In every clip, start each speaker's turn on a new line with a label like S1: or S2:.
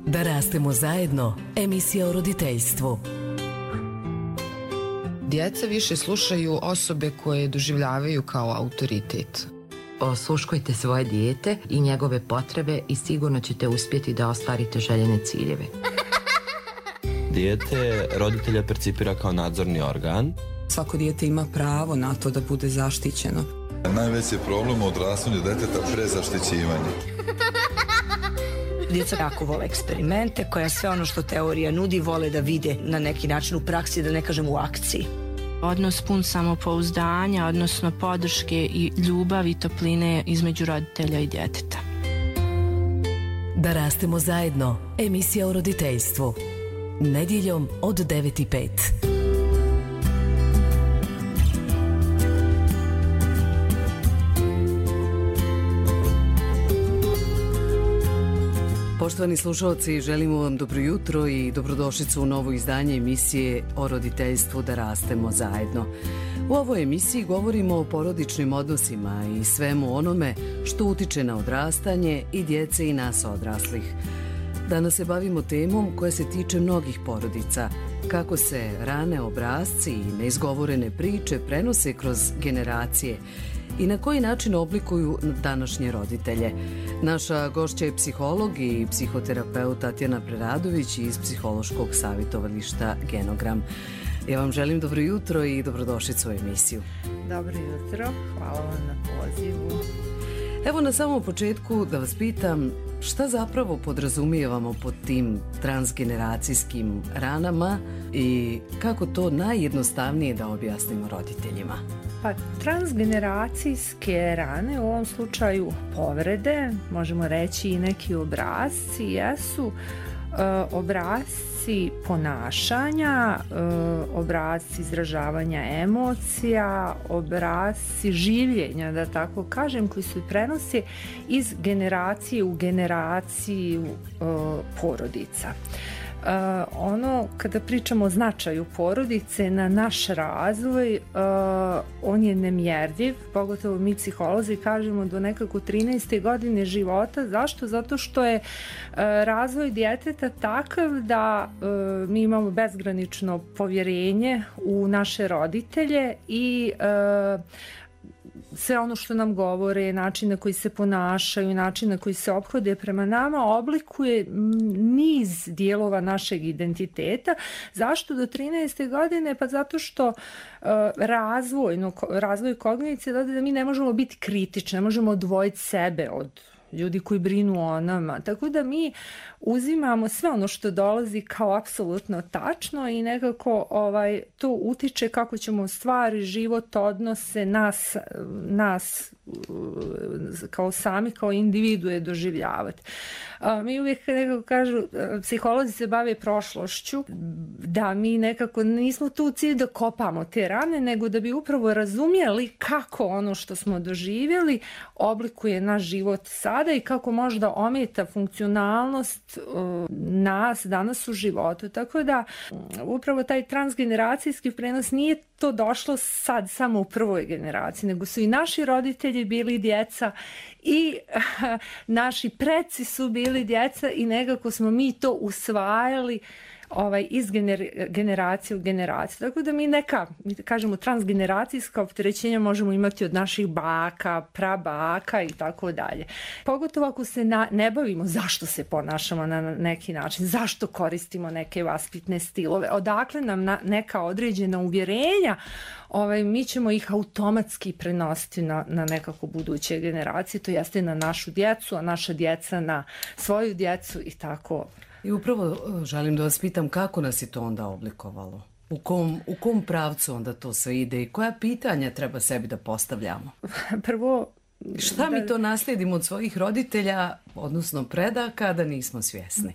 S1: Da rastemo zajedno, emisija o roditeljstvu.
S2: Djeca više slušaju osobe koje doživljavaju kao autoritet.
S3: Osluškujte svoje dijete i njegove potrebe i sigurno ćete uspjeti da ostvarite željene ciljeve.
S4: Dijete roditelja percipira kao nadzorni organ.
S5: Svako dijete ima pravo na to da bude zaštićeno.
S6: Najveći je problem u odrastanju djeteta prezaštićivanje.
S7: Djeca jako vole eksperimente, koja sve ono što teorija nudi vole da vide na neki način u praksi, da ne kažem u akciji.
S8: Odnos pun samopouzdanja, odnosno podrške i ljubavi i topline između roditelja i djeteta.
S1: Da rastemo zajedno, emisija o roditeljstvu. Nedjeljom od 9:05.
S9: Poštovani slušalci, želimo vam dobro jutro i dobrodošlicu u novo izdanje emisije o roditeljstvu Da rastemo zajedno. U ovoj emisiji govorimo o porodičnim odnosima i svemu onome što utiče na odrastanje i djece i nas odraslih. Danas se bavimo temom koja se tiče mnogih porodica, kako se rane obrasci i neizgovorene priče prenose kroz generacije i na koji način oblikuju današnje roditelje. Naša gošća je psiholog i psihoterapeut Tatjana Preradović iz psihološkog savjetovališta Genogram. Ja vam želim dobro jutro i dobrodošlicu u emisiju.
S10: Dobro jutro, hvala vam na pozivu.
S9: Evo na samom početku da vas pitam šta zapravo podrazumijevamo pod tim transgeneracijskim ranama i kako to najjednostavnije da objasnimo roditeljima.
S10: Pa transgeneracijske rane, u ovom slučaju povrede, možemo reći i neki obrasci, jesu obrasci ponašanja, obrasci izražavanja emocija, obrasci življenja, da tako kažem, koji se prenose iz generacije u generaciju porodica. Kada pričamo o značaju porodice na naš razvoj, on je nemjerljiv, pogotovo mi psiholozi kažemo do nekako 13. godine života. Zašto? Zato što je razvoj djeteta takav da mi imamo bezgranično povjerenje u naše roditelje i sve ono što nam govore, način na koji se ponašaju, način na koji se ophode prema nama oblikuje niz dijelova našeg identiteta. Zašto do 13. godine? Pa zato što razvoj kognicije da mi ne možemo biti kritični, ne možemo odvojiti sebe od ljudi koji brinu o nama. Tako da mi uzimamo sve ono što dolazi kao apsolutno tačno i nekako to utiče kako ćemo stvari, život, odnose, nas kao sami, kao individue doživljavati. Mi uvijek nekako kažu, psiholozi se bave prošlošću, da mi nekako nismo tu u cilju da kopamo te rane, nego da bi upravo razumjeli kako ono što smo doživjeli oblikuje naš život sada i kako možda ometa funkcionalnost nas danas u životu. Tako da upravo taj transgeneracijski prenos nije to došlo sad samo u prvoj generaciji, nego su i naši roditelji bili djeca i naši preci su bili djeca i nekako smo mi to usvajali iz generacije u generaciju. Tako da mi kažemo transgeneracijska opterećenja možemo imati od naših baka, prabaka i tako dalje. Pogotovo ako se ne bavimo zašto se ponašamo na neki način, zašto koristimo neke vaspitne stilove, odakle nam neka određena uvjerenja, mi ćemo ih automatski prenositi na nekako buduće generacije, to jeste na našu djecu, a naša djeca na svoju djecu i tako.
S9: I upravo želim da vas pitam kako nas je to onda oblikovalo? U kom pravcu onda to sve ide i koja pitanja treba sebi da postavljamo?
S10: Prvo,
S9: šta mi to naslijedimo od svojih roditelja, odnosno predaka, da nismo svjesni?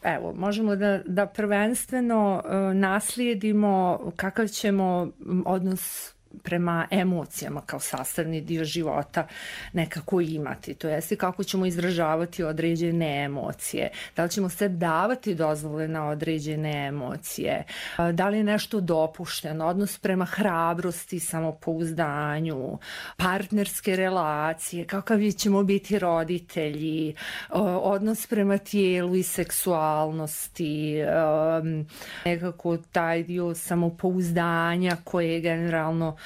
S10: Evo, možemo da prvenstveno naslijedimo kakav ćemo odnos prema emocijama kao sastavni dio života nekako imati. To jeste kako ćemo izražavati određene emocije, da li ćemo se davati dozvole na određene emocije, da li je nešto dopušteno, odnos prema hrabrosti, samopouzdanju, partnerske relacije, kakav ćemo biti roditelji, odnos prema tijelu i seksualnosti, nekako taj dio samopouzdanja koje generalno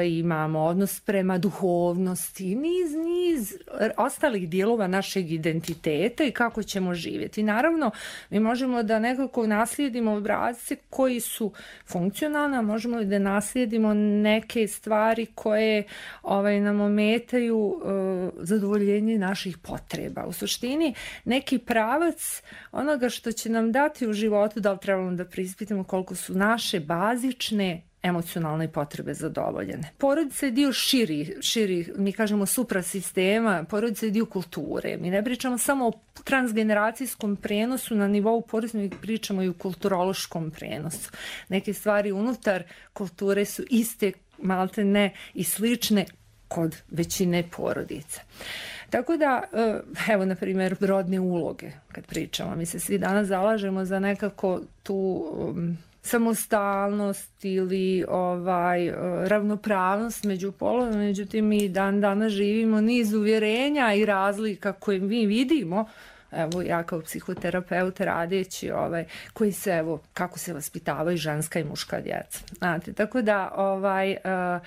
S10: imamo, odnos prema duhovnosti, niz ostalih dijelova našeg identiteta i kako ćemo živjeti. Naravno, mi možemo da nekako naslijedimo obrasce koji su funkcionalni, a možemo i da naslijedimo neke stvari koje nam ometaju zadovoljenje naših potreba. U suštini, neki pravac onoga što će nam dati u životu, da li trebamo da preispitamo koliko su naše bazične emocionalne potrebe zadovoljene. Porodica je dio širi, mi kažemo suprasistema, porodica je dio kulture. Mi ne pričamo samo o transgeneracijskom prenosu na nivou porodice, mi pričamo i o kulturološkom prenosu. Neke stvari unutar kulture su iste, malte ne i slične kod većine porodica. Tako da, evo, na primjer, rodne uloge, kad pričamo, mi se svi danas zalažemo za nekako tu samostalnost ili ravnopravnost među polovima, međutim mi danas živimo niz uvjerenja i razlika koje mi vidimo, evo ja kao psihoterapeut radeći, koji se, evo, kako se vaspitavaju ženska i muška djeca. Znate, tako da,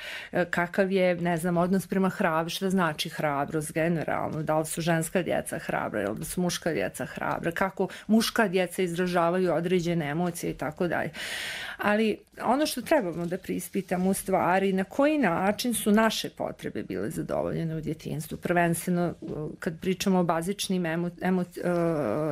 S10: kakav je, ne znam, odnos prema hrabrosti, šta znači hrabrost generalno, da li su ženska djeca hrabra ili da su muška djeca hrabra, kako muška djeca izražavaju određene emocije i tako dalje. Ali ono što trebamo da preispitamo u stvari, na koji način su naše potrebe bile zadovoljene u djetinjstvu. Prvenstveno, kad pričamo o bazičnim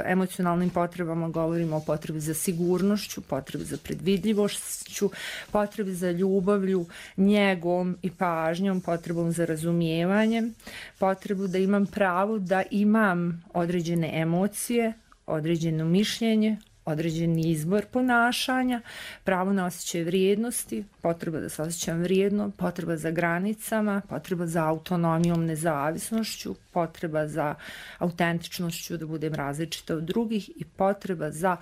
S10: emocionalnim potrebama, govorimo o potrebi za sigurnošću, potrebi za predvidljivošću, potrebi za ljubavlju, njegom i pažnjom, potrebom za razumijevanjem, potrebu da imam pravo da imam određene emocije, određeno mišljenje, određeni izbor ponašanja, pravo na osjećaj vrijednosti, potreba da se osjećam vrijedno, potreba za granicama, potreba za autonomijom, nezavisnošću, potreba za autentičnošću, da budem različita od drugih i potreba za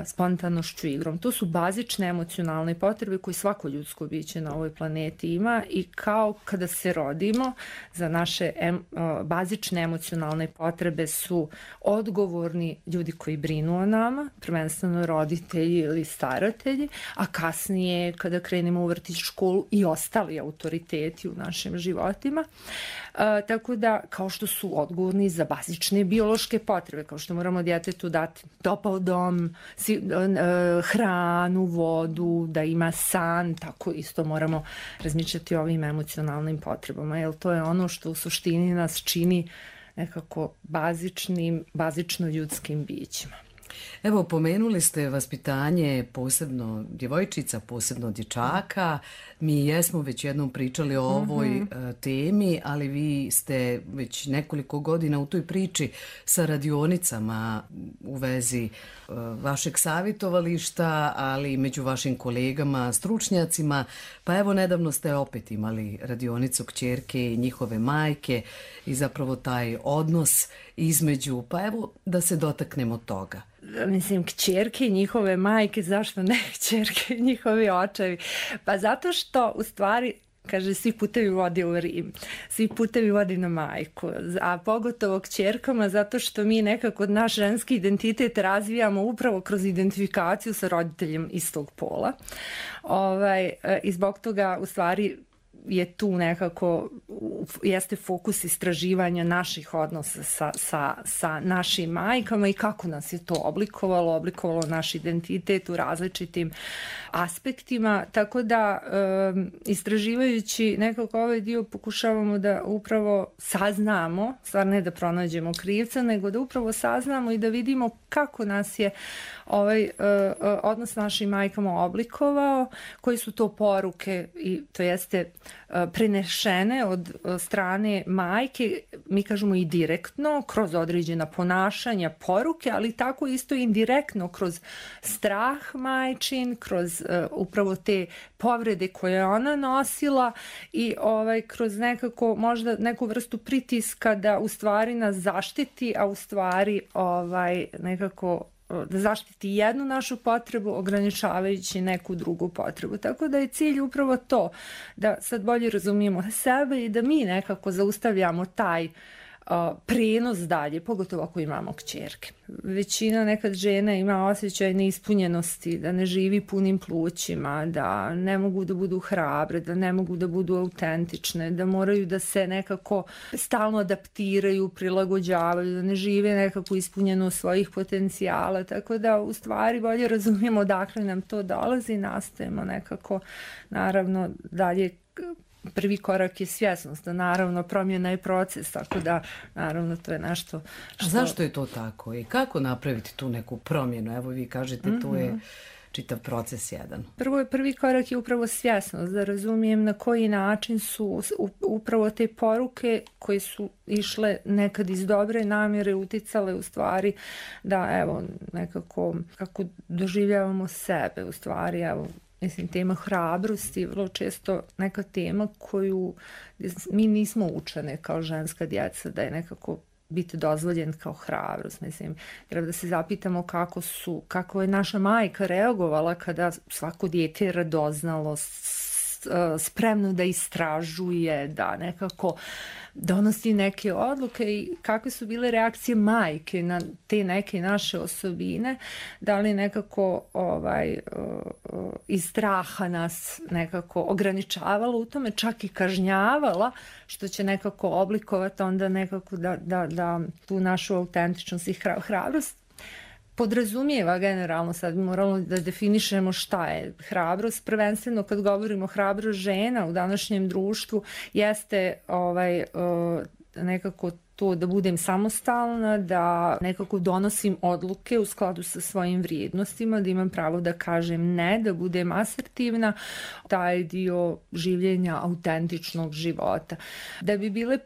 S10: spontanošću igrom. To su bazične emocionalne potrebe koje svako ljudsko biće na ovoj planeti ima i kao kada se rodimo, za naše bazične emocionalne potrebe su odgovorni ljudi koji brinu o nama, prvenstveno roditelji ili staratelji, a kasnije kada krenemo u vrtić, školu i ostali autoriteti u našim životima. Tako da, kao što su odgovorni za bazične biološke potrebe, kao što moramo djetetu dati topao dom, hranu, vodu, da ima san, tako isto moramo razmišljati o ovim emocionalnim potrebama, jer to je ono što u suštini nas čini nekako bazično ljudskim bićima.
S9: Evo, pomenuli ste vaspitanje posebno djevojčica, posebno dječaka. Mi jesmo već jednom pričali o ovoj temi, ali vi ste već nekoliko godina u toj priči sa radionicama u vezi vašeg savjetovališta, ali i među vašim kolegama, stručnjacima. Pa evo, nedavno ste opet imali radionicu kćerke i njihove majke i zapravo taj odnos između, pa evo da se dotaknemo toga.
S10: Mislim, kćerke i njihove majke, zašto ne kćerke i njihovi očevi? Pa zato što, u stvari, kaže, svi putevi vode u Rim, svi putevi vode na majku, a pogotovo kćerkama zato što mi nekako naš ženski identitet razvijamo upravo kroz identifikaciju sa roditeljem istog pola. I zbog toga, u stvari, je tu nekako, jeste fokus istraživanja naših odnosa sa našim majkama i kako nas je to oblikovalo naš identitet u različitim aspektima, tako da istraživajući nekako ovaj dio pokušavamo da upravo saznamo, stvar ne da pronađemo krivca, nego da upravo saznamo i da vidimo kako nas je ovaj odnos s našim majkama oblikovao, koji su to poruke i to jeste prenešene od strane majke, mi kažemo i direktno, kroz određena ponašanja, poruke, ali tako isto indirektno kroz strah majčin, kroz upravo te povrede koje je ona nosila i kroz nekako možda neku vrstu pritiska da u stvari nas zaštiti, a u stvari nekako da zaštiti jednu našu potrebu ograničavajući neku drugu potrebu. Tako da je cilj upravo to, da sad bolje razumijemo sebe i da mi nekako zaustavljamo taj prenos dalje, pogotovo ako imamo kćerke. Većina nekad žena ima osjećaj neispunjenosti, da ne živi punim plućima, da ne mogu da budu hrabre, da ne mogu da budu autentične, da moraju da se nekako stalno adaptiraju, prilagođavaju, da ne žive nekako ispunjeno svojih potencijala, tako da u stvari bolje razumijemo odakle nam to dolazi, nastojimo nekako naravno dalje. Prvi korak je svjesnost, da naravno promjena je proces, tako da naravno to je nešto što...
S9: A zašto je to tako i kako napraviti tu neku promjenu? Evo vi kažete tu je čitav proces jedan.
S10: Prvi korak je upravo svjesnost, da razumijem na koji način su upravo te poruke koje su išle nekad iz dobre namjere uticale u stvari da evo nekako kako doživljavamo sebe u stvari evo. Mislim, tema hrabrosti je vrlo često neka tema koju mi nismo učene kao ženska djeca, da je nekako biti dozvoljen kao hrabrost. Mislim, treba da se zapitamo kako je naša majka reagovala kada svako dijete je radoznalo, spremno da istražuje, da nekako donosi neke odluke i kakve su bile reakcije majke na te neke naše osobine, da li nekako iz straha nas nekako ograničavala u tome, čak i kažnjavala, što će nekako oblikovati onda nekako da tu našu autentičnost i hrabrost podrazumijeva generalno, sad bi moralo da definišemo šta je hrabrost. Prvenstveno kad govorimo hrabrost žena u današnjem društvu jeste nekako to da budem samostalna, da nekako donosim odluke u skladu sa svojim vrijednostima, da imam pravo da kažem ne, da budem asertivna, taj dio življenja autentičnog života. Da bi bile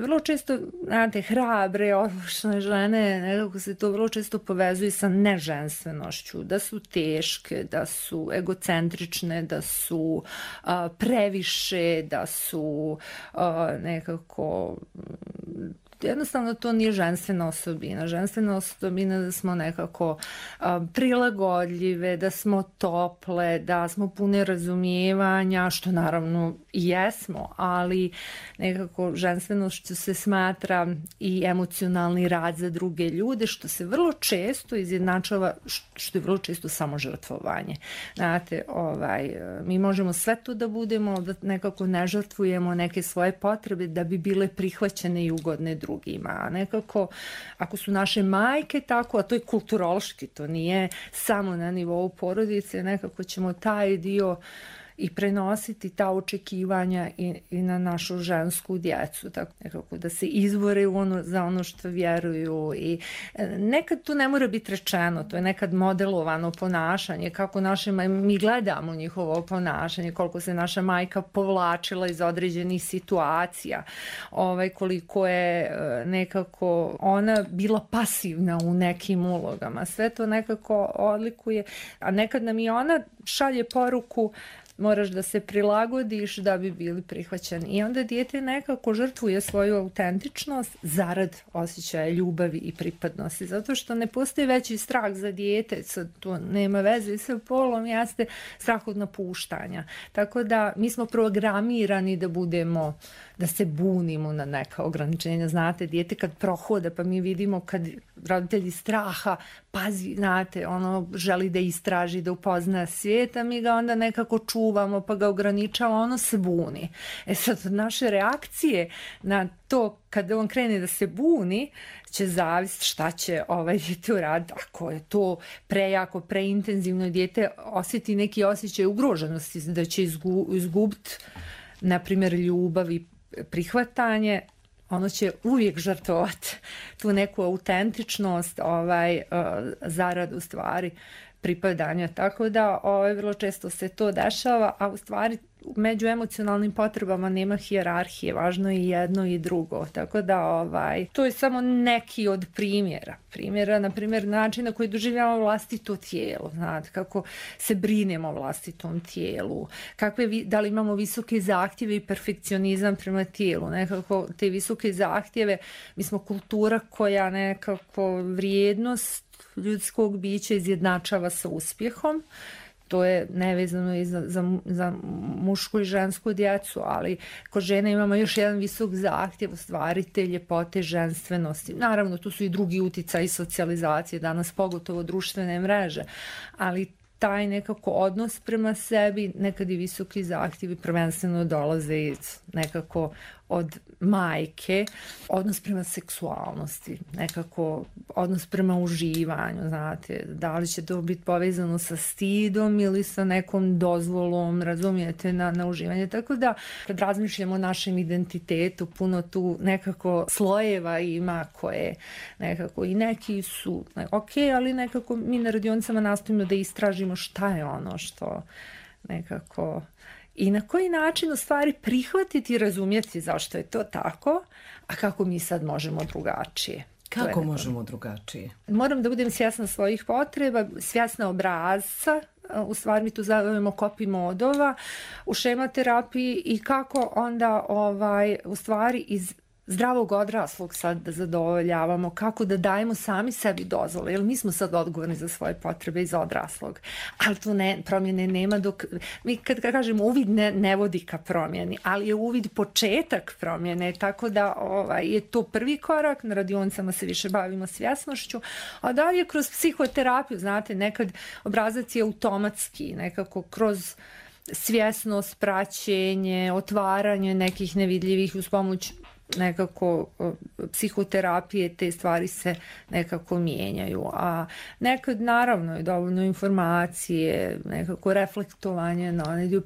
S10: vrlo često, znate, hrabre, odlučne žene, nekako se to vrlo često povezuje sa neženstvenošću, da su teške, da su egocentrične, da su previše, da su nekako... Jednostavno to nije ženstvena osobina. Ženstvena osobina da smo nekako prilagodljive, da smo tople, da smo pune razumijevanja, što naravno i jesmo, ali nekako ženstvenost se smatra i emocionalni rad za druge ljude, što se vrlo često izjednačava, što je vrlo često samo žrtvovanje. Znate, mi možemo sve to da budemo, da nekako ne žrtvujemo neke svoje potrebe da bi bile prihvaćene i ugodne drugima. A nekako, ako su naše majke tako, a to je kulturološki, to nije samo na nivou porodice, nekako ćemo taj dio i prenositi ta očekivanja i na našu žensku djecu, tako nekako da se izbore za ono što vjeruju i nekad to ne mora biti rečeno, to je nekad modelovano ponašanje, kako mi gledamo njihovo ponašanje, koliko se naša majka povlačila iz određenih situacija, koliko je nekako ona bila pasivna u nekim ulogama, sve to nekako odlikuje, a nekad nam i ona šalje poruku moraš da se prilagodiš da bi bili prihvaćeni. I onda dijete nekako žrtvuje svoju autentičnost zarad osjećaja ljubavi i pripadnosti. Zato što ne postoji veći strah za dijete, sad to nema veze sa polom, jeste strah od napuštanja. Tako da mi smo programirani da se bunimo na neka ograničenja. Znate, dijete kad prohoda, pa mi vidimo kad roditelji straha, pazi, znate, želi da istraži, da upozna svijet, a mi ga onda nekako čuvamo, pa ga ograničava, ono se buni. Sad, naše reakcije na to, kada on krene da se buni, će zavisiti šta će dijete uraditi. Ako je to prejako, preintenzivno, dijete osjeti neki osjećaj ugroženosti, da će izgubiti, na primjer, ljubav i prihvatanje, ono će uvijek žrtvovati tu neku autentičnost zarad u stvari pripadanja. Tako da vrlo često se to dešava, a u stvari među emocionalnim potrebama nema hijerarhije, važno je jedno i drugo. Tako da to je samo neki od primjera, na primjer način na koji doživljavamo vlastito tijelo, znate, kako se brinemo o vlastitom tijelu, da li imamo visoke zahtjeve i perfekcionizam prema tijelu, nekako te visoke zahtjeve, mi smo kultura koja nekako vrijednost ljudskog bića izjednačava sa uspjehom. To je nevezano i za mušku i žensku djecu, ali kod žene imamo još jedan visok zahtjev, stvari te ljepote, ženstvenosti. Naravno, tu su i drugi uticaji socijalizacije, danas pogotovo društvene mreže, ali taj nekako odnos prema sebi, nekad i visoki zahtjevi prvenstveno dolaze nekako od majke, odnos prema seksualnosti, nekako odnos prema uživanju, znate, da li će to biti povezano sa stidom ili sa nekom dozvolom, razumijete, na uživanje. Tako da, kad razmišljamo o našem identitetu, puno tu nekako slojeva ima koje nekako i neki su ok, ali nekako mi na radionicama nastojimo da istražimo šta je ono što nekako i na koji način u stvari prihvatiti i razumjeti zašto je to tako, a kako mi sad možemo drugačije.
S9: Kako možemo drugačije?
S10: Moram da budem svjesna svojih potreba, svjesna obrazca, u stvari mi tu zovemo copy modova u šematerapiji i kako onda u stvari iz zdravog odraslog sad da zadovoljavamo, kako da dajemo sami sebi dozvole, jer mi smo sad odgovorni za svoje potrebe iz odraslog, ali tu promjene nema dok, mi kad kažemo uvid ne vodi ka promjeni, ali je uvid početak promjene, tako da je to prvi korak, na radionicama se više bavimo svjesnošću, a dalje kroz psihoterapiju, znate, nekad obrazac je automatski, nekako kroz svjesnost, praćenje, otvaranje nekih nevidljivih uz pomoć nekako psihoterapije, te stvari se nekako mijenjaju, a nekad naravno je dovoljno informacije, nekako reflektovanje,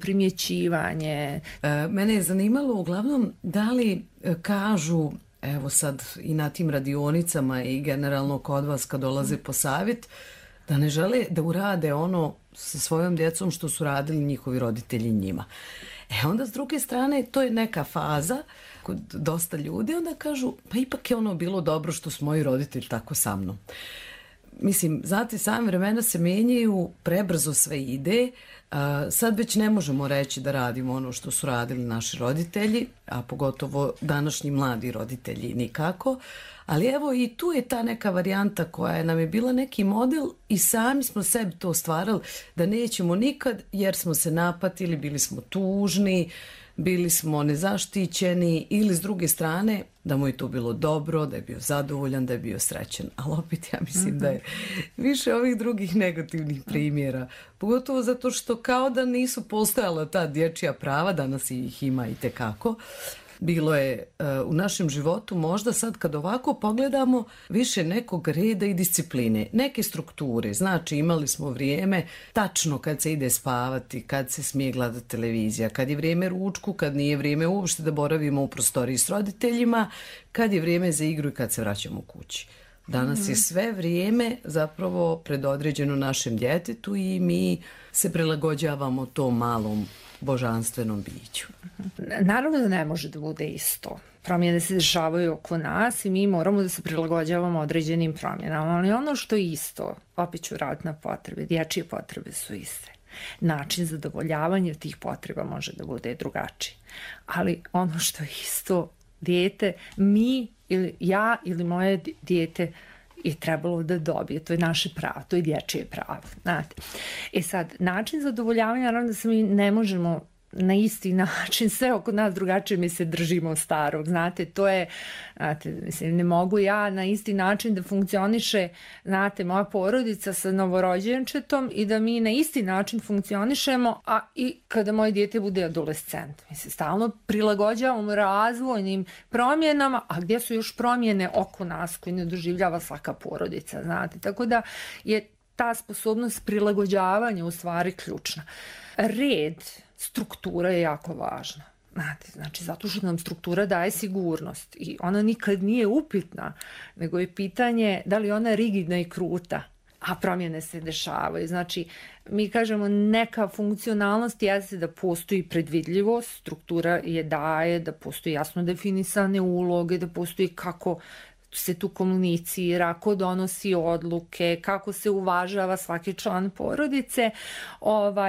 S10: primjećivanje.
S9: Mene je zanimalo uglavnom da li kažu, evo sad i na tim radionicama i generalno kod vas kad dolaze po savjet, da ne žele da urade ono sa svojom djecom što su radili njihovi roditelji njima. Onda s druge strane to je neka faza kod dosta ljudi, onda kažu pa ipak je ono bilo dobro što su moji roditelji tako sa mnom. Mislim, znate, same vremena se menjaju, prebrzo sve ide, sad već ne možemo reći da radimo ono što su radili naši roditelji, a pogotovo današnji mladi roditelji nikako, ali evo i tu je ta neka varijanta koja nam je bila neki model i sami smo sebi to stvarali da nećemo nikad jer smo se napatili, bili smo tužni, bili smo nezaštićeni ili s druge strane da mu je to bilo dobro, da je bio zadovoljan, da je bio srećen. Ali opet ja mislim da je više ovih drugih negativnih primjera. Pogotovo zato što kao da nisu postojala ta dječja prava, danas ih ima i tekako. Bilo je u našem životu možda sad kad ovako pogledamo više nekog reda i discipline, neke strukture. Znači imali smo vrijeme tačno kad se ide spavati, kad se smije gledati televizija, kad je vrijeme ručku, kad nije vrijeme uopšte da boravimo u prostoriji s roditeljima, kad je vrijeme za igru i kad se vraćamo kući. Danas je sve vrijeme zapravo predodređeno našem djetetu i mi se prilagođavamo tom malom božanstvenom biću.
S10: Naravno da ne može da bude isto. Promjene se dešavaju oko nas i mi moramo da se prilagođavamo određenim promjenama, ali ono što je isto, opet ću raditi na potrebe, dječje potrebe su iste. Način zadovoljavanja tih potreba može da bude drugačiji. Ali ono što je isto, dijete, mi ili ja ili moje dijete je trebalo da dobije. To je naše pravo, to je dječje pravo. Znate. Sad, način zadovoljavanja, naravno da se mi ne možemo na isti način, sve oko nas drugačije mi se držimo starog, znate, to je, znate, mislim, ne mogu ja na isti način da funkcioniše, znate, moja porodica sa novorođenčetom i da mi na isti način funkcionišemo, a i kada moje dijete bude adolescent. Mi se stalno prilagođavamo razvojnim promjenama, a gdje su još promjene oko nas koje ne doživljava svaka porodica, znate, tako da je ta sposobnost prilagođavanja u stvari ključna. Red, struktura je jako važna. Znate, znači, zato što nam struktura daje sigurnost i ona nikad nije upitna, nego je pitanje da li ona rigidna i kruta. a promjene se dešavaju. Znači, mi kažemo neka funkcionalnost jeste da postoji predvidljivost, struktura je daje, da postoji jasno definisane uloge, da postoji kako se tu komunicira, ko donosi odluke, kako se uvažava svaki član porodice,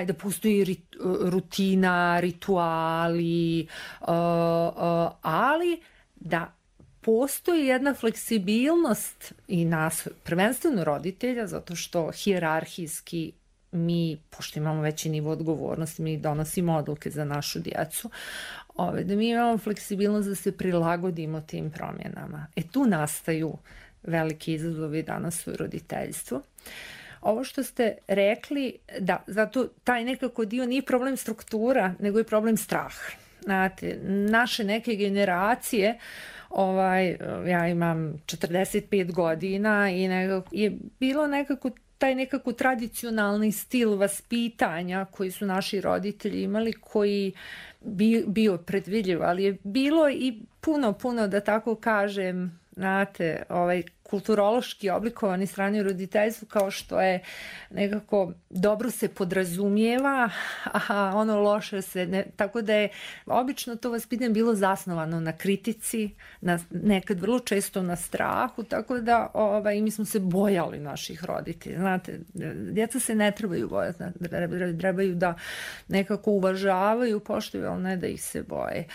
S10: da postoji rutina, rituali, ali da postoji jedna fleksibilnost i nas, prvenstveno roditelja, zato što hijerarhijski mi, pošto imamo veći nivo odgovornosti, mi donosimo odluke za našu djecu, da mi imamo fleksibilnost da se prilagodimo tim promjenama. Tu nastaju veliki izazovi danas u roditeljstvu. Ovo što ste rekli, da, zato taj nekako dio nije problem struktura, nego je problem straha. Znate, naše neke generacije, ja imam 45 godina i je bilo nekako taj nekako tradicionalni stil vaspitanja koji su naši roditelji imali, koji bio predvidljiv, ali je bilo i puno, da tako kažem, znate, kulturološki oblikovani strani roditeljstvu, kao što je nekako dobro se podrazumijeva, a ono loše se ne, tako da je obično to vaspitanje bilo zasnovano na kritici, nekad vrlo često na strahu, tako da mi smo se bojali naših roditelja. Znate, djeca se ne trebaju bojati, trebaju da nekako uvažavaju, poštuju, ali ne da ih se boje.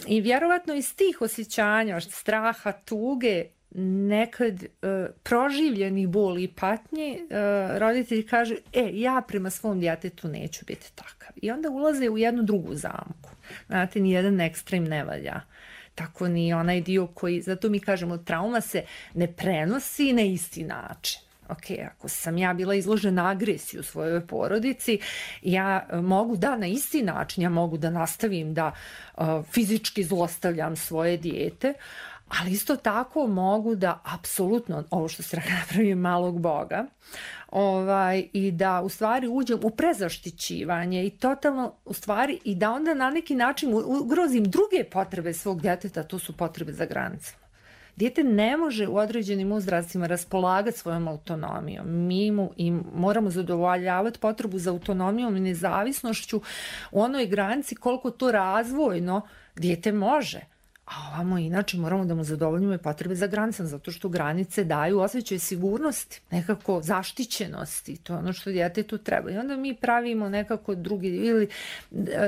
S10: I vjerovatno iz tih osjećanja, straha, tuge, nekad proživljeni bol i patnje, roditelji kažu, ja prema svom djetetu neću biti takav. I onda ulaze u jednu drugu zamku. Znate, nijedan ekstrem ne valja. Tako ni onaj dio koji, zato mi kažemo, trauma se ne prenosi na isti način. Ako sam ja bila izložena agresiji u svojoj porodici, ja mogu na isti način, ja mogu da nastavim da fizički zlostavljam svoje dijete, ali isto tako mogu da apsolutno, ovo što se napravim malog Boga, i da u stvari uđem u prezaštićivanje i totalno u stvari i da onda na neki način ugrozim druge potrebe svog djeteta, to su potrebe za granicama. Dijete ne može u određenim uzrastima raspolagati svojom autonomijom. Mi moramo zadovoljavati potrebu za autonomijom i nezavisnošću u onoj granici koliko to razvojno dijete može. A ovamo inače moramo da mu zadovoljimo i potrebe za granicama, zato što granice daju osjećaj sigurnosti, nekako zaštićenosti, to je ono što djetetu treba. I onda mi pravimo nekako drugi, ili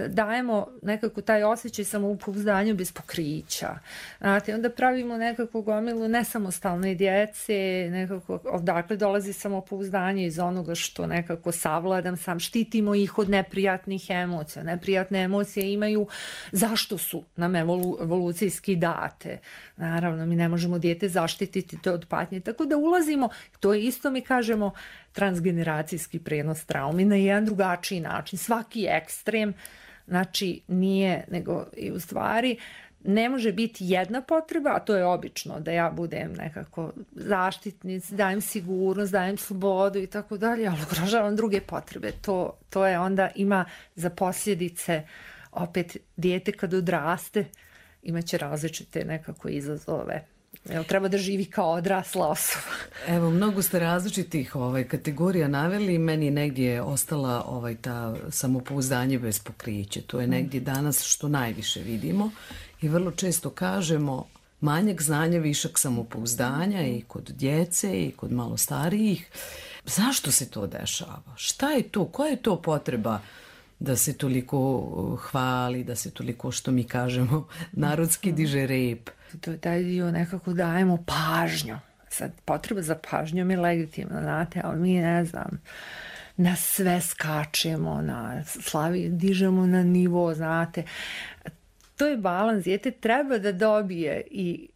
S10: dajemo nekako taj osjećaj samopouzdanja bez pokrića. Znate, onda pravimo nekako gomilu nesamostalne djece, nekako odakle dolazi samopouzdanje iz onoga što nekako savladam sam, štitimo ih od neprijatnih emocija. Neprijatne emocije imaju zašto su nam evolucijski date. Naravno, mi ne možemo dijete zaštititi to od patnje, tako da ulazimo, to je isto mi kažemo transgeneracijski prenos traumi na jedan drugačiji način. Svaki ekstrem, znači nije, nego i u stvari ne može biti jedna potreba, a to je obično da ja budem nekako zaštitnic, dajem sigurnost, dajem slobodu i tako dalje, ali ugrožavam druge potrebe. To je onda ima za posljedice opet dijete kad odraste imaće različite nekako izazove. Treba da živi kao odrasla osoba.
S9: Evo, mnogo ste različitih kategorija naveli. Meni negdje je ostala ta samopouzdanje bez pokrića. To je negdje danas što najviše vidimo i vrlo često kažemo manjak znanja, višak samopouzdanja i kod djece i kod malo starijih. Zašto se to dešava? Šta je to? Koja je to potreba da se toliko hvali, da se toliko, što mi kažemo, narodski diže rep?
S10: To je taj dio nekako dajemo pažnju. Sad, potreba za pažnjom je legitimna, znate, ali mi ne znam, na sve skačemo, na slavi dižemo na nivo, znate. To je balans, dijete treba da dobije i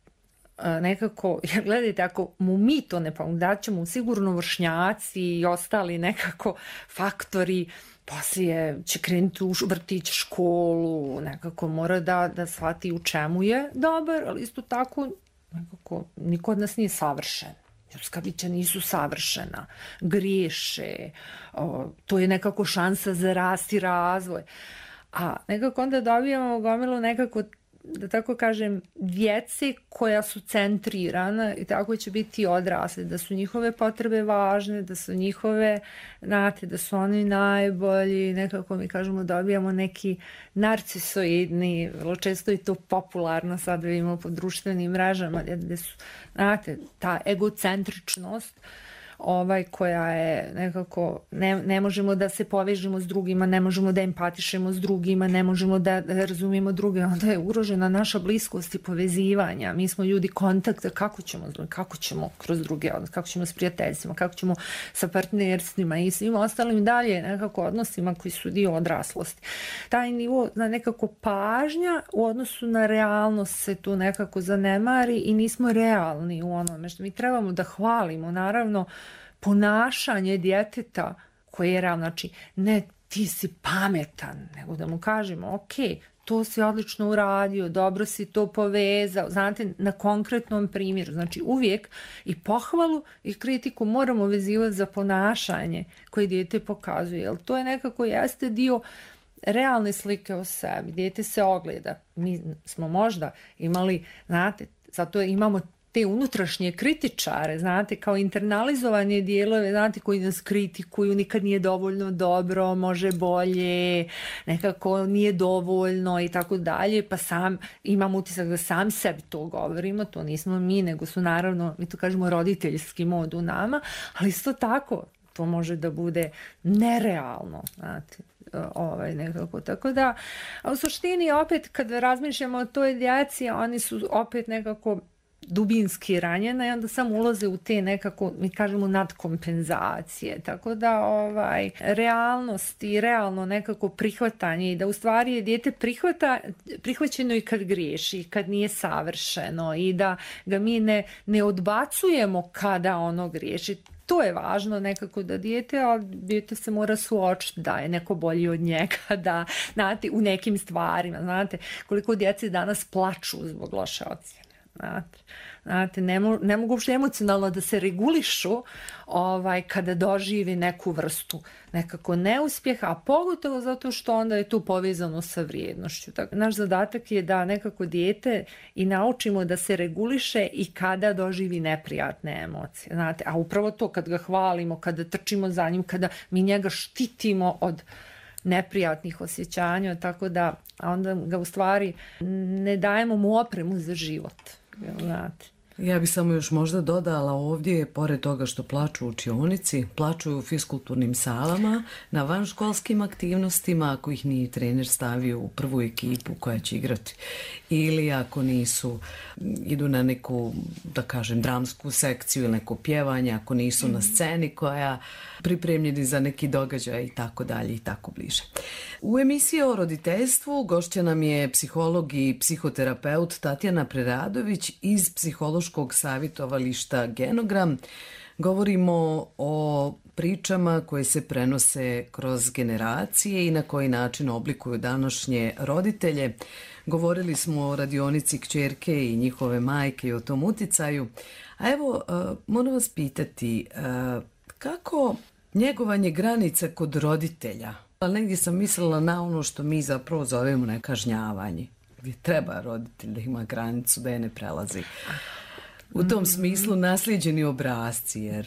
S10: nekako, gledajte, ako mu mi to ne pomoći, da ćemo sigurno vršnjaci i ostali nekako faktori, poslije će krenuti u vrtić, školu, nekako mora da shvati u čemu je dobar, ali isto tako nekako niko od nas nije savršen. Ljudska bića nisu savršena, griješe, to je nekako šansa za rast i razvoj. A nekako onda dobijamo gomilu nekako da tako kažem, djece koja su centrirana i tako će biti odrasli, da su njihove potrebe važne, da su njihove, znate, da su oni najbolji, nekako mi kažemo dobijamo neki narcisoidni, vrlo često i to popularno sad vidimo po društvenim mrežama, gdje su, znate, ta egocentričnost koja je nekako, ne možemo da se povežemo s drugima, ne možemo da empatišemo s drugima, ne možemo da razumijemo druge, onda je ugrožena naša bliskost i povezivanja. Mi smo ljudi kontakta, kako ćemo kroz druge, kako ćemo s prijateljstvima, kako ćemo sa partnerstvima i svim ostalim dalje nekako odnosima koji su dio odraslosti. Taj nivo nekako pažnja u odnosu na realnost se tu nekako zanemari i nismo realni u onome što mi trebamo da hvalimo, naravno, ponašanje djeteta koje je realno, znači ne ti si pametan, nego da mu kažemo ok, to si odlično uradio, dobro si to povezao, znate, na konkretnom primjeru, znači uvijek i pohvalu i kritiku moramo vezivati za ponašanje koje dijete pokazuje, jer to je nekako jeste dio realne slike o sebi, dijete se ogleda, mi smo možda imali, znate, zato imamo te unutrašnje kritičare, znate, kao internalizovanje dijelove, znate, koji nas kritikuju, nikad nije dovoljno dobro, može bolje, nekako nije dovoljno i tako dalje, pa sam imam utisak da sam sebi to govorimo, to nismo mi, nego su naravno, mi to kažemo roditeljski mod u nama, ali isto tako, to može da bude nerealno, znate, nekako, tako da, a u suštini opet kad razmišljamo o toj djeci, oni su opet nekako dubinski ranjena i onda samo ulaze u te nekako, mi kažemo, nadkompenzacije. Tako da realnost i realno nekako prihvatanje i da u stvari je dijete prihvaćeno i kad griješi, kad nije savršeno i da ga mi ne odbacujemo kada ono griješi. To je važno nekako da dijete se mora suočiti da je neko bolji od njega, da, znate, u nekim stvarima, znate, koliko djece danas plaču zbog loše ocjene. Znate, ne mogu uopšte emocionalno da se regulišu kada doživi neku vrstu nekako neuspjeha, a pogotovo zato što onda je tu povezano sa vrijednošću. Tako, naš zadatak je da nekako dijete i naučimo da se reguliše i kada doživi neprijatne emocije. Znate, a upravo to kad ga hvalimo, kada trčimo za njim, kada mi njega štitimo od neprijatnih osjećanja, tako da onda ga u stvari ne dajemo mu opremu za život. Znate.
S9: Ja bih samo još možda dodala ovdje, pored toga što plaču u učionici, plaču u fiskulturnim salama, na vanškolskim aktivnostima, ako ih nije trener stavio u prvu ekipu koja će igrati. Ili ako idu na neku, da kažem, dramsku sekciju ili neko pjevanje, ako nisu na sceni koja pripremljeni za neki događaj i tako dalje i tako bliže. U emisiji o roditeljstvu gošća nam je psiholog i psihoterapeut Tatjana Preradović iz psihološkog savjetovališta Genogram. Govorimo o pričama koje se prenose kroz generacije i na koji način oblikuju današnje roditelje. Govorili smo o radionici kćerke i njihove majke i o tom uticaju. A evo, moram vas pitati, kako njegovanje granica kod roditelja? Ali negdje sam mislila na ono što mi zapravo zovemo nekažnjavanje, gdje treba roditelj da ima granicu, da je ne prelazi. U tom smislu naslijeđeni obrasci, jer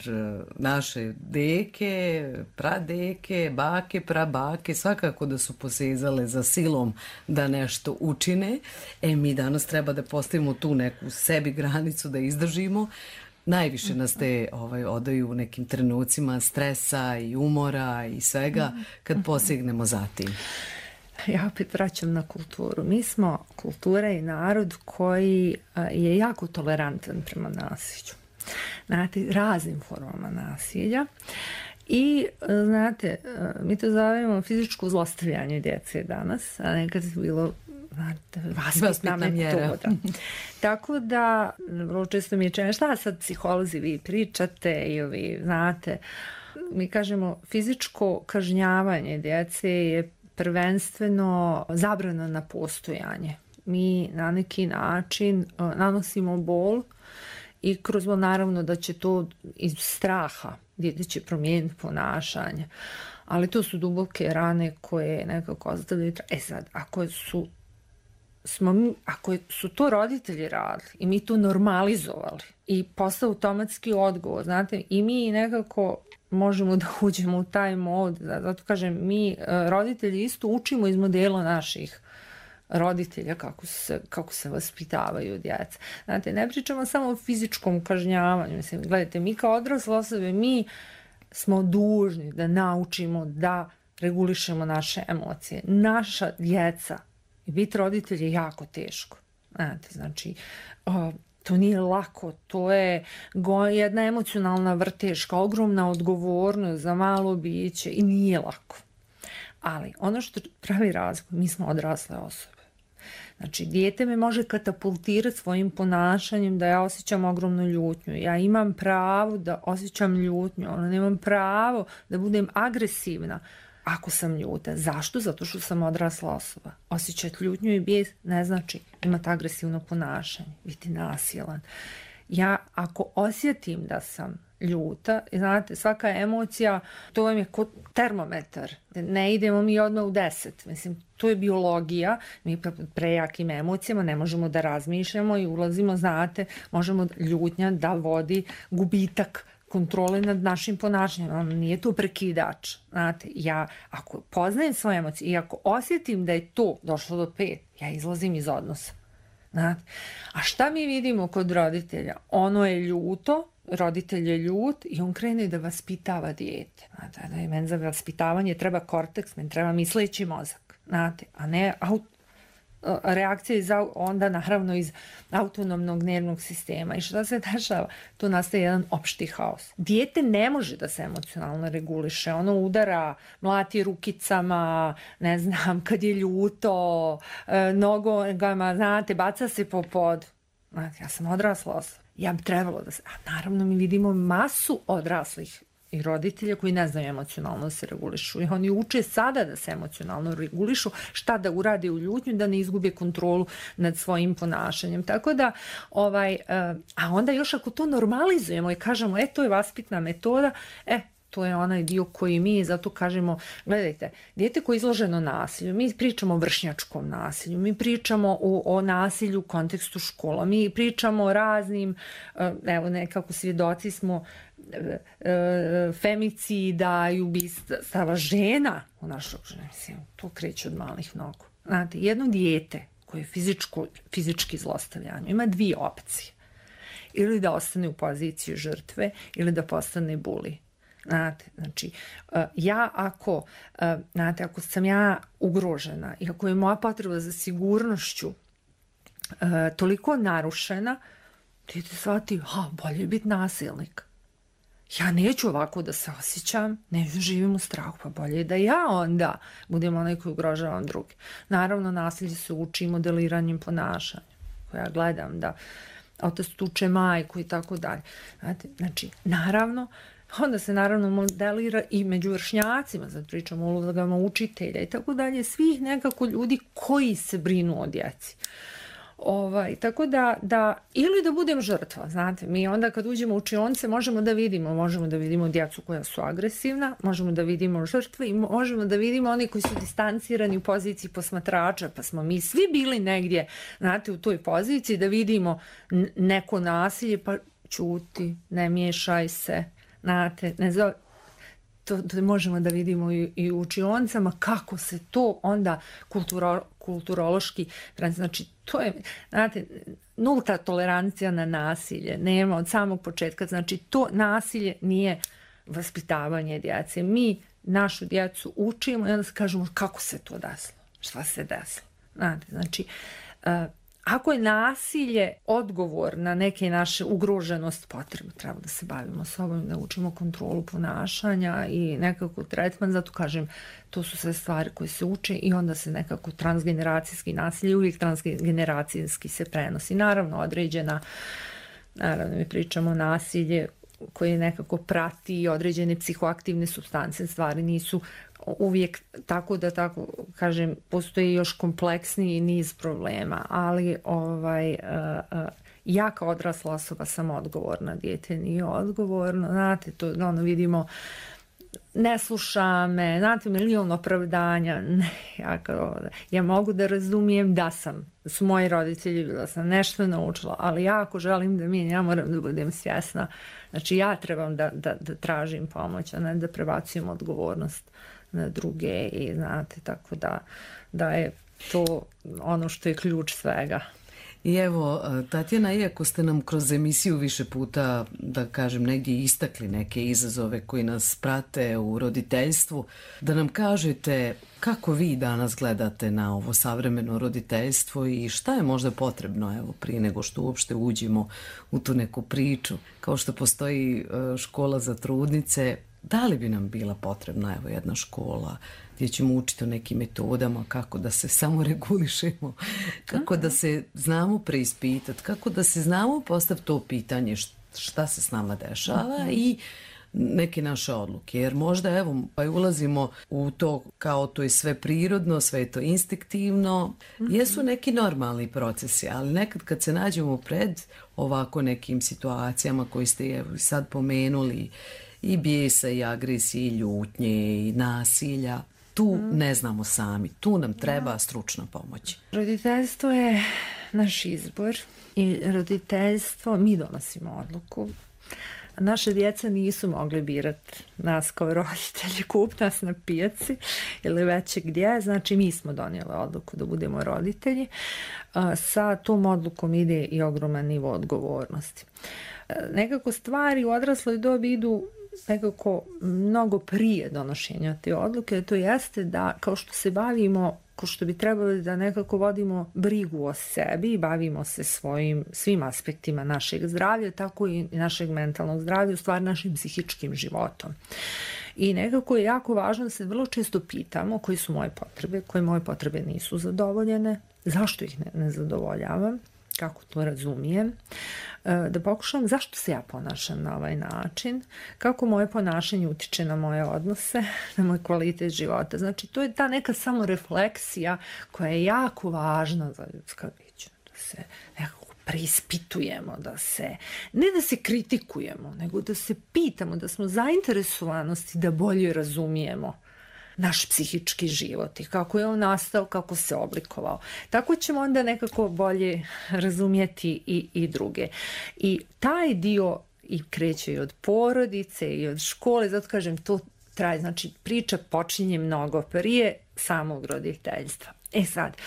S9: naše deke, pradeke, bake, prabake, svakako da su posezale za silom da nešto učine. Mi danas treba da postavimo tu neku sebi granicu, da izdržimo. Najviše nas te odaju u nekim trenucima stresa i umora i svega kad posegnemo za tim.
S10: Ja opet vraćam na kulturu. Mi smo kultura i narod koji je jako tolerantan prema nasilju. Znate, raznim formama nasilja. I, znate, mi to zovemo fizičko zlostavljanje djece danas, a nekad je bilo vaspitna metoda. Tako da, vrlo često mi je čeno, šta sad psiholozi vi pričate i vi, znate, mi kažemo fizičko kažnjavanje djece je prvenstveno zabrana na postojanje. Mi na neki način nanosimo bol i kroz naravno da će to iz straha dijete će promijeniti ponašanje. Ali to su duboke rane koje nekako ostavljaju. Sad, ako su ako su to roditelji radili i mi to normalizovali i postao automatski odgovor, znate, i mi nekako možemo da uđemo u taj mod, zato kažem, mi roditelji isto učimo iz modela naših roditelja kako se vaspitavaju djeca. Znate, ne pričamo samo o fizičkom kažnjavanju, mislim, gledajte, mi kao odrasle osobe, mi smo dužni da naučimo da regulišemo naše emocije. Naša djeca i biti roditelj je jako teško. Znate, znači, to nije lako, to je jedna emocionalna vrteška, ogromna odgovornost za malo biće i nije lako. Ali ono što pravi razliku, mi smo odrasle osobe. Znači, dijete me može katapultirati svojim ponašanjem da ja osjećam ogromnu ljutnju. Ja imam pravo da osjećam ljutnju, ali nemam pravo da budem agresivna ako sam ljuta. Zašto? Zato što sam odrasla osoba. Osjećati ljutnju i bijes ne znači imati agresivno ponašanje, biti nasilan. Ja ako osjetim da sam ljuta, znate, svaka emocija, to vam je kao termometar. Ne idemo mi odmah u 10. Mislim, to je biologija. Mi prejakim emocijama ne možemo da razmišljamo i ulazimo, znate, možemo ljutnja da vodi gubitak kontrole nad našim ponašanjem. Nije to prekidač. Znate, ja ako poznajem svoje emocije i ako osjetim da je to došlo do 5, ja izlazim iz odnosa. Znate? A šta mi vidimo kod roditelja? Ono je ljuto, roditelj je ljut i on krene da vaspitava dijete. Znate, da je meni za vaspitavanje treba korteks, meni treba misleći mozak. Znate, a ne reakcija onda naravno iz autonomnog nervnog sistema. I šta se dešava? Tu nastaje jedan opšti haos. Dijete ne može da se emocionalno reguliše. Ono udara, mlati rukicama, ne znam, kad je ljuto, nogama, znate, baca se po podu. Znate, ja sam odrasla osoba. Ja bi trebalo da se... A naravno mi vidimo masu odraslih i roditelja koji ne znaju emocionalno da se regulišu. I oni uče sada da se emocionalno regulišu, šta da urade u ljutnju, da ne izgube kontrolu nad svojim ponašanjem. Tako da, a onda još ako to normalizujemo i kažemo, to je vaspitna metoda, to je onaj dio koji mi zato kažemo, gledajte, dijete koje je izloženo nasilju, mi pričamo o vršnjačkom nasilju, mi pričamo o nasilju u kontekstu škola, mi pričamo o raznim, evo nekako svjedoci smo femicida i ubistava žena u našoj okruženju. Mislim, to kreće od malih nogu. Znate, jedno dijete koje je fizički zlostavljanje ima 2 opcije. Ili da ostane u poziciji žrtve ili da postane buli. Znate, znači, ako sam ja ugrožena i ako je moja potreba za sigurnošću toliko narušena, dijete shvati, bolje je biti nasilnik. Ja neću ovako da se osjećam, neću da živim u strahu, pa bolje je da ja onda budem onaj koji ugrožavam druge. Naravno, nasilje se uči modeliranjem ponašanja, koja gledam da otac tuče majku i tako dalje. Znači, naravno, onda se naravno modelira i među vršnjacima, zato pričamo o ulogama učitelja i tako dalje, svih nekako ljudi koji se brinu o djeci. Tako da ili da budem žrtva, znate, mi onda kad uđemo u učionice možemo da vidimo djecu koja su agresivna, možemo da vidimo žrtve i možemo da vidimo oni koji su distancirani u poziciji posmatrača, pa smo mi svi bili negdje, znate, u toj poziciji da vidimo neko nasilje, pa ćuti, ne miješaj se, znate, ne znam, to možemo da vidimo i u učionicama kako se to onda kulturološki, znači to je, znate, nulta tolerancija na nasilje, nema od samog početka, znači to nasilje nije vaspitavanje djece. Mi našu djecu učimo i onda se kažemo kako se to desilo, šta se desilo. Znate, znači, ako je nasilje odgovor na neke naše ugroženost, potrebno treba da se bavimo sobom, da učimo kontrolu ponašanja i nekako tretman, zato kažem, to su sve stvari koje se uče i onda se nekako transgeneracijski nasilje uvijek transgeneracijski se prenosi. Naravno, naravno mi pričamo nasilje koje nekako prati određene psihoaktivne supstance, stvari nisu uvijek tako da tako kažem, postoji još kompleksniji niz problema, ali ja kao odrasla osoba sam odgovorna, dijete nije odgovorno, znate, to vidimo ne sluša me, znate, milion opravdanja. Ne, ja mogu da razumijem da su moji roditelji, da sam nešto naučila, ali ja ako želim da ja moram da budem svjesna. Znači ja trebam da tražim pomoć, a ne da prebacujem odgovornost na druge i znate, tako da je to ono što je ključ svega.
S9: I evo, Tatjana, iako ste nam kroz emisiju više puta, da kažem, negdje istakli neke izazove koji nas prate u roditeljstvu, da nam kažete kako vi danas gledate na ovo savremeno roditeljstvo i šta je možda potrebno, evo, prije nego što uopšte uđemo u tu neku priču. Kao što postoji škola za trudnice, da li bi nam bila potrebna, evo, jedna škola gdje ćemo učiti o nekim metodama kako da se samoregulišemo, kako da se znamo preispitati, kako da se znamo postaviti to pitanje šta se s nama dešava i neke naše odluke. Jer možda, evo, ulazimo u to kao to je sve prirodno, sve je to instinktivno. Jesu neki normalni procesi, ali nekad kad se nađemo pred ovako nekim situacijama koji ste evo sad pomenuli, i bijesa, i agresije, i ljutnje, i nasilja, tu ne znamo sami, tu nam treba stručna pomoć.
S10: Roditeljstvo je naš izbor i roditeljstvo, mi donosimo odluku. Naše djeca nisu mogli birati nas kao roditelji, kup nas na pijaci ili već gdje, znači mi smo donijeli odluku da budemo roditelji. Sa tom odlukom ide i ogroman nivo odgovornosti. Nekako stvari u odrasloj dobi idu nekako mnogo prije donošenja te odluke, to jeste da kao što se bavimo, kao što bi trebali da nekako vodimo brigu o sebi i bavimo se svim aspektima našeg zdravlja, tako i našeg mentalnog zdravlja, u stvari našim psihičkim životom. I nekako je jako važno da se vrlo često pitamo koje su moje potrebe, koje moje potrebe nisu zadovoljene, zašto ih ne zadovoljavam, kako to razumijem, da pokušam zašto se ja ponašam na ovaj način, kako moje ponašanje utiče na moje odnose, na moj kvalitet života. Znači, to je ta neka samorefleksija koja je jako važna za ljudska bića, da se nekako preispitujemo, ne da se kritikujemo, nego da se pitamo, da smo zainteresovanosti da bolje razumijemo naš psihički život i kako je on nastao, kako se oblikovao. Tako ćemo onda nekako bolje razumjeti i druge. I taj dio i kreće i od porodice i od škole, zato kažem, to traje, znači priča počinje mnogo prije samog roditeljstva. Sad,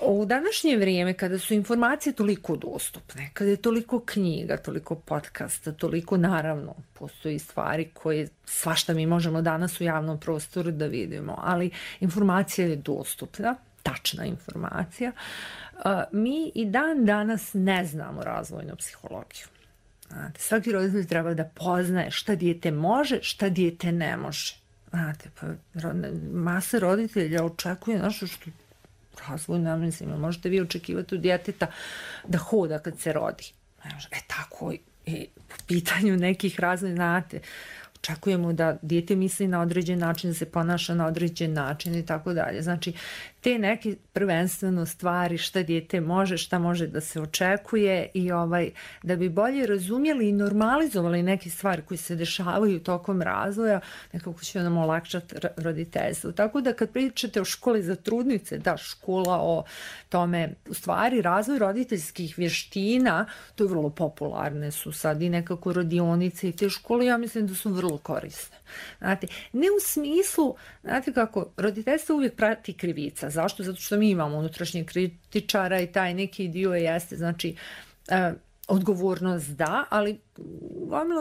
S10: u današnje vrijeme kada su informacije toliko dostupne, kada je toliko knjiga, toliko podcasta, toliko naravno postoji stvari koje svašta mi možemo danas u javnom prostoru da vidimo, ali informacija je dostupna, tačna informacija. Mi i dan danas ne znamo razvojnu psihologiju. Svaki roditelj treba da poznaje šta dijete može, šta dijete ne može. Masa roditelja očekuje nešto što razvojno, mislim, možete vi očekivati od djeteta da hoda kad se rodi. Tako i po pitanju nekih razvojnih, znate, očekujemo da dijete misli na određen način, da se ponaša na određen način i tako dalje. Znači, te neke prvenstveno stvari šta dijete može, šta može da se očekuje i da bi bolje razumjeli i normalizovali neke stvari koje se dešavaju tokom razvoja, nekako će nam olakšati roditeljstvo. Tako da kad pričate o školi za trudnice, da, škola o tome, u stvari razvoj roditeljskih vještina, to je vrlo popularne su sad i nekako radionice i te škole, ja mislim da su vrlo korisne. Znate, ne u smislu, znate kako, roditeljstvo uvijek prati krivica. Zašto? Zato što mi imamo unutrašnjeg kritičara i taj neki dio jeste, znači, odgovornost da, ali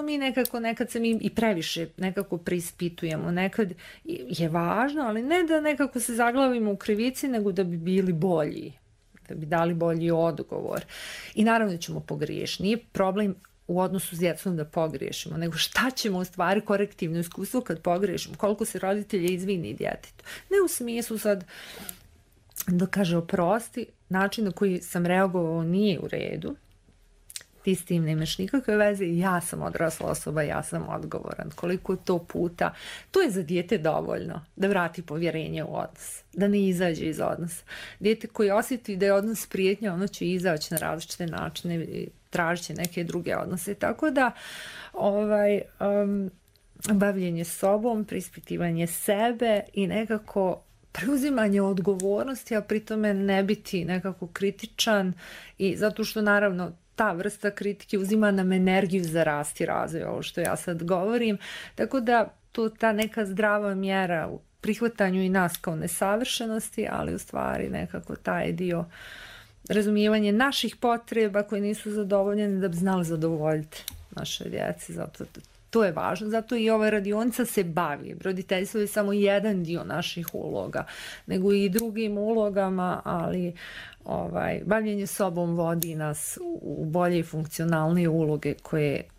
S10: mi nekad se mi i previše nekako preispitujemo. Nekad je važno, ali ne da nekako se zaglavimo u krivici, nego da bi bili bolji, da bi dali bolji odgovor. I naravno da ćemo pogriješiti. Nije problem u odnosu s djecom da pogriješimo, nego šta ćemo u stvari korektivno iskustvo kad pogriješimo, koliko se roditelje izvini djetetu. Ne u smislu sad da kaže oprosti, način na koji sam reagovao nije u redu, ti s tim nemaš nikakve veze, ja sam odrasla osoba, ja sam odgovoran. Koliko to puta, to je za dijete dovoljno da vrati povjerenje u odnos, da ne izađe iz odnosa. Dijete koji osjeti da je odnos prijetnja, ono će izaći na različite načine, tražit će neke druge odnose. Tako da bavljenje sobom, preispitivanje sebe i nekako preuzimanje odgovornosti, a pri tome ne biti nekako kritičan, i zato što naravno ta vrsta kritike uzima nam energiju za rast i razvoj, ovo što ja sad govorim, tako da ta neka zdrava mjera u prihvatanju i nas kao nesavršenosti, ali u stvari nekako taj dio razumijevanje naših potreba koje nisu zadovoljene da bi znali zadovoljiti naše djeci, zato to je važno, zato i ova radionica se bavi. Roditeljstvo je samo jedan dio naših uloga, nego i drugim ulogama, ali bavljenje sobom vodi nas u bolje i funkcionalnije uloge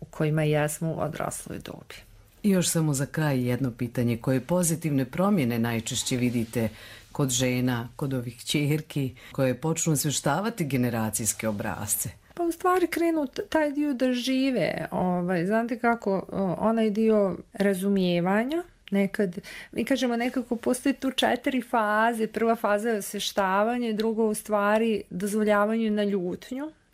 S10: u kojima jesmo u odrasloj dobi.
S9: I još samo za kraj jedno pitanje, koje pozitivne promjene najčešće vidite kod žena, kod ovih ćerki koje počnu osvještavati generacijske obrasce?
S10: Pa u stvari krenu taj dio da žive, znate kako, onaj dio razumijevanja, nekad, mi kažemo nekako postoji tu 4 faze, prva faza je osvještavanje, drugo u stvari dozvoljavanje na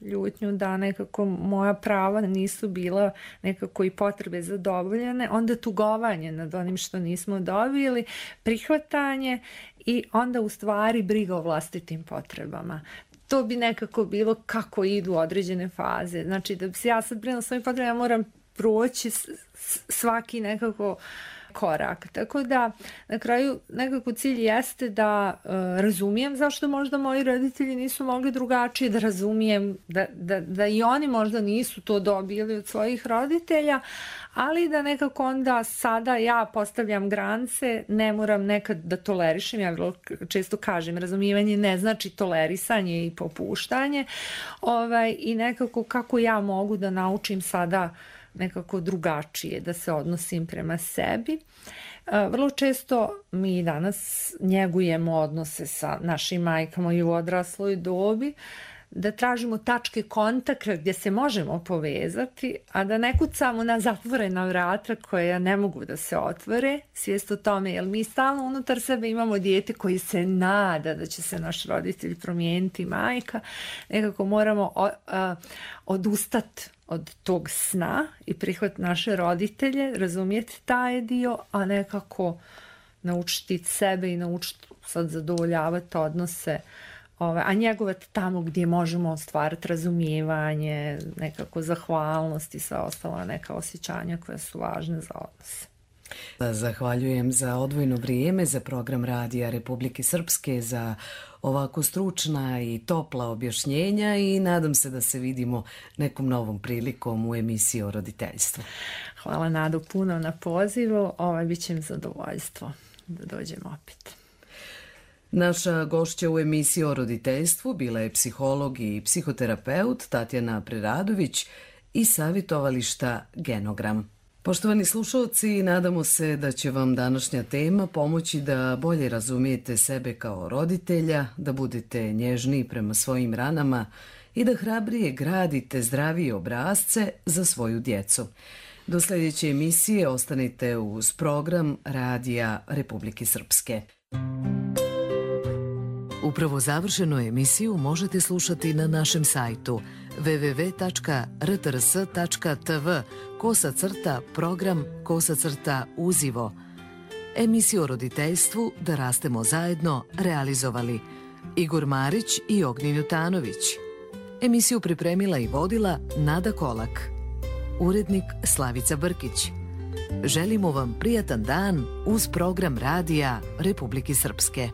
S10: ljutnju da nekako moja prava nisu bila nekako i potrebe zadovoljene, onda tugovanje nad onim što nismo dobili, prihvatanje i onda u stvari briga o vlastitim potrebama. To bi nekako bilo kako idu određene faze. Znači da bi se ja sad brinula svojim potrebama, ja moram proći svaki nekako korak. Tako da na kraju nekako cilj jeste da razumijem zašto možda moji roditelji nisu mogli drugačije, da razumijem da i oni možda nisu to dobili od svojih roditelja, ali da nekako onda sada ja postavljam granice, ne moram nekad da tolerišem, ja vrlo često kažem, razumijevanje ne znači tolerisanje i popuštanje, i nekako kako ja mogu da naučim sada nekako drugačije da se odnosim prema sebi. Vrlo često mi danas njegujemo odnose sa našim majkama i u odrasloj dobi, da tražimo tačke kontakta gdje se možemo povezati, a da ne kucamo na zatvorena vrata koja ne mogu da se otvore, svijest o tome, jer mi stalno unutar sebe imamo dijete koji se nada da će se naš roditelj promijeniti, majka, nekako moramo odustati od tog sna i prihvatiti naše roditelje, razumjeti taj dio, a nekako naučiti sebe i naučiti sad zadovoljavati odnose, a njegovati tamo gdje možemo ostvariti razumijevanje, nekako zahvalnost i sva ostala neka osjećanja koja su važne za odnose.
S9: Zahvaljujem za odvojeno vrijeme za program Radija Republike Srpske, za ovako stručna i topla objašnjenja i nadam se da se vidimo nekom novom prilikom u emisiji o roditeljstvu.
S10: Hvala Nado puno na pozivu, bit će mi zadovoljstvo da dođemo opet.
S9: Naša gošća u emisiji o roditeljstvu bila je psiholog i psihoterapeut Tatjana Preradović iz savjetovališta Genogram. Poštovani slušalci, nadamo se da će vam današnja tema pomoći da bolje razumijete sebe kao roditelja, da budete nježniji prema svojim ranama i da hrabrije gradite zdravije obrasce za svoju djecu. Do sljedeće emisije ostanite uz program Radija Republike Srpske.
S1: Upravo završenu emisiju možete slušati na našem sajtu www.rtrs.tv/program/uzivo. Emisiju o roditeljstvu Da rastemo zajedno realizovali Igor Marić i Ognjen Jutanović. Emisiju pripremila i vodila Nada Kolak. Urednik Slavica Brkić. Želimo vam prijatan dan uz program Radija Republike Srpske.